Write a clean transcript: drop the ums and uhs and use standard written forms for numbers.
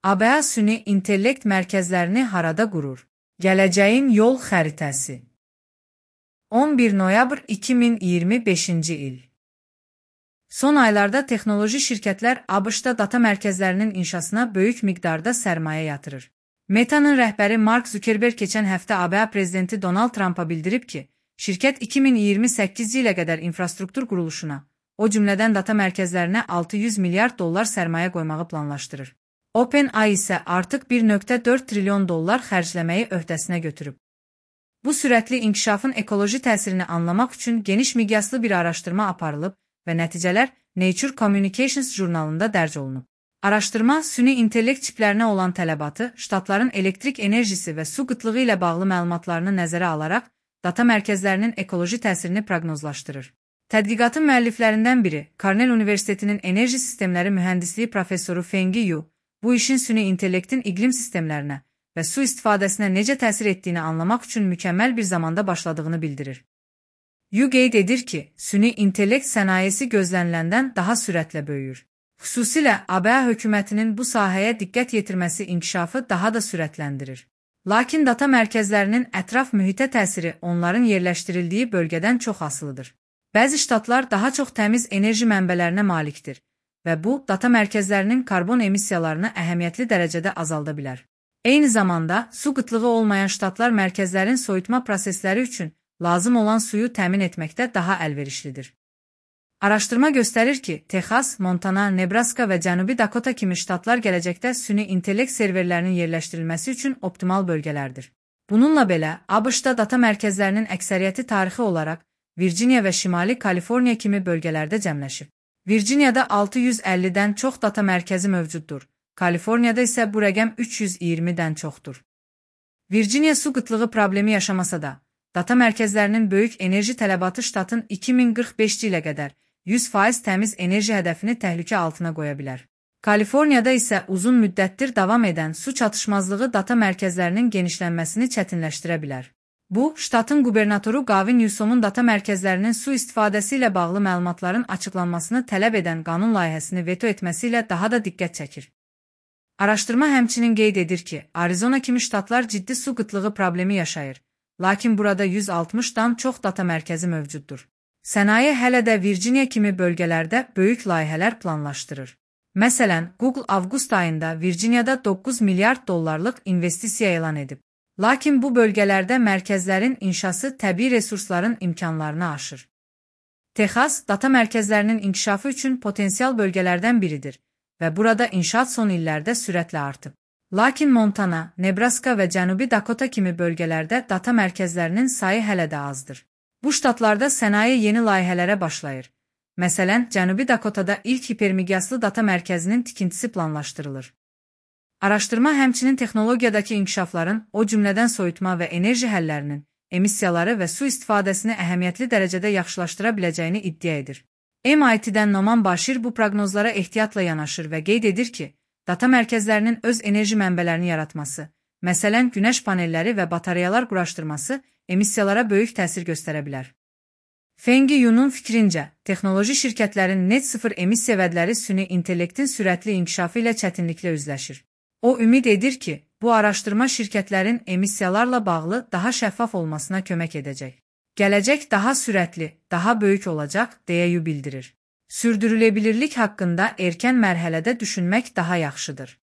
ABA süni intellekt mərkəzlərini harada qurur? Gələcəyin yol xəritəsi. 11 noyabr 2025-ci il. Son aylarda texnoloji şirkətlər ABŞ-da data mərkəzlərinin inşasına böyük miqdarda sərmayə yatırır. Meta'nın rəhbəri Mark Zuckerberg keçən həftə ABA prezidenti Donald Trumpa bildirib ki, şirkət 2028 ilə qədər infrastruktur quruluşuna, o cümlədən data mərkəzlərinə $600 milyard sərmayə qoymağı planlaşdırır. OpenAI isə artıq $1.4 trilyon xərcləməyi öhdəsinə götürüb. Bu sürətli inkişafın ekoloji təsirini anlamaq üçün geniş miqyaslı bir araşdırma aparılıb və nəticələr Nature Communications jurnalında dərc olunub. Araşdırma, süni intellekt çiplərinə olan tələbatı, ştatların elektrik enerjisi və su qıtlığı ilə bağlı məlumatlarını nəzərə alaraq, data mərkəzlərinin ekoloji təsirini proqnozlaşdırır. Tədqiqatın müəlliflərindən biri, Cornell Universitetinin enerji sistemləri mühəndisliyi professoru Feng Yu, bu işin süni intellektin iqlim sistemlərinə və su istifadəsinə necə təsir etdiyini anlamaq üçün mükəmməl bir zamanda başladığını bildirir. Yu qeyd edir ki, süni intellekt sənayesi gözləniləndən daha sürətlə böyüyür. Xüsusilə ABA hökumətinin bu sahəyə diqqət yetirməsi inkişafı daha da sürətləndirir. Lakin data mərkəzlərinin ətraf mühitə təsiri onların yerləşdirildiyi bölgədən çox asılıdır. Bəzi ştatlar daha çox təmiz enerji mənbələrinə malikdir və bu, data mərkəzlərinin karbon emissiyalarını əhəmiyyətli dərəcədə azalda bilər. Eyni zamanda, su qıtlığı olmayan ştatlar mərkəzlərin soyutma prosesləri üçün lazım olan suyu təmin etməkdə daha əlverişlidir. Araşdırma göstərir ki, Texas, Montana, Nebraska və Cənubi Dakota kimi ştatlar gələcəkdə süni intellekt serverlərinin yerləşdirilməsi üçün optimal bölgələrdir. Bununla belə, ABŞ-da data mərkəzlərinin əksəriyyəti tarixi olaraq Virginia və Şimali Kaliforniya kimi bölgələrdə cəmləşib. Virginiyada 650-dən çox data mərkəzi mövcuddur, Kaliforniyada isə bu rəqəm 320-dən çoxdur. Virginia su qıtlığı problemi yaşamasa da, data mərkəzlərinin böyük enerji tələbatı ştatın 2045 ilə qədər 100% təmiz enerji hədəfini təhlükə altına qoya bilər. Kaliforniyada isə uzun müddətdir davam edən su çatışmazlığı data mərkəzlərinin genişlənməsini çətinləşdirə bilər. Bu, ştatın qubernatoru Gavin Newsomun data mərkəzlərinin su istifadəsi ilə bağlı məlumatların açıqlanmasını tələb edən qanun layihəsini veto etməsi ilə daha da diqqət çəkir. Araşdırma həmçinin qeyd edir ki, Arizona kimi ştatlar ciddi su qıtlığı problemi yaşayır, lakin burada 160-dan çox data mərkəzi mövcuddur. Sənaye hələ də Virginia kimi bölgələrdə böyük layihələr planlaşdırır. Məsələn, Google avqust ayında Virginiyada $9 milyard investisiya elan edib. Lakin bu bölgələrdə mərkəzlərin inşası təbii resursların imkanlarını aşır. Texas, data mərkəzlərinin inkişafı üçün potensial bölgələrdən biridir və burada inşaat son illərdə sürətlə artıb. Lakin Montana, Nebraska və Cənubi Dakota kimi bölgələrdə data mərkəzlərinin sayı hələ də azdır. Bu ştatlarda sənaye yeni layihələrə başlayır. Məsələn, Cənubi Dakotada ilk hipermiqyaslı data mərkəzinin tikintisi planlaşdırılır. Araşdırma həmçinin texnologiyadakı inkişafların, o cümlədən soyutma və enerji həllərinin, emissiyaları və su istifadəsini əhəmiyyətli dərəcədə yaxşılaşdıra biləcəyini iddia edir. MIT-dən Noman Başir bu proqnozlara ehtiyatla yanaşır və qeyd edir ki, data mərkəzlərinin öz enerji mənbələrini yaratması, məsələn, günəş panelləri və batareyalar quraşdırması emissiyalara böyük təsir göstərə bilər. Feng Yu'nun fikrincə, texnoloji şirkətlərin net sıfır emissiya vədləri süni intellektin sürətli inkişafı ilə çətinliklə üzləşir. O ümid edir ki, bu araşdırma şirkətlərin emissiyalarla bağlı daha şəffaf olmasına kömək edəcək. Gələcək daha sürətli, daha böyük olacaq, deyə Yu bildirir. Sürdürüləbilirlik haqqında erkən mərhələdə düşünmək daha yaxşıdır.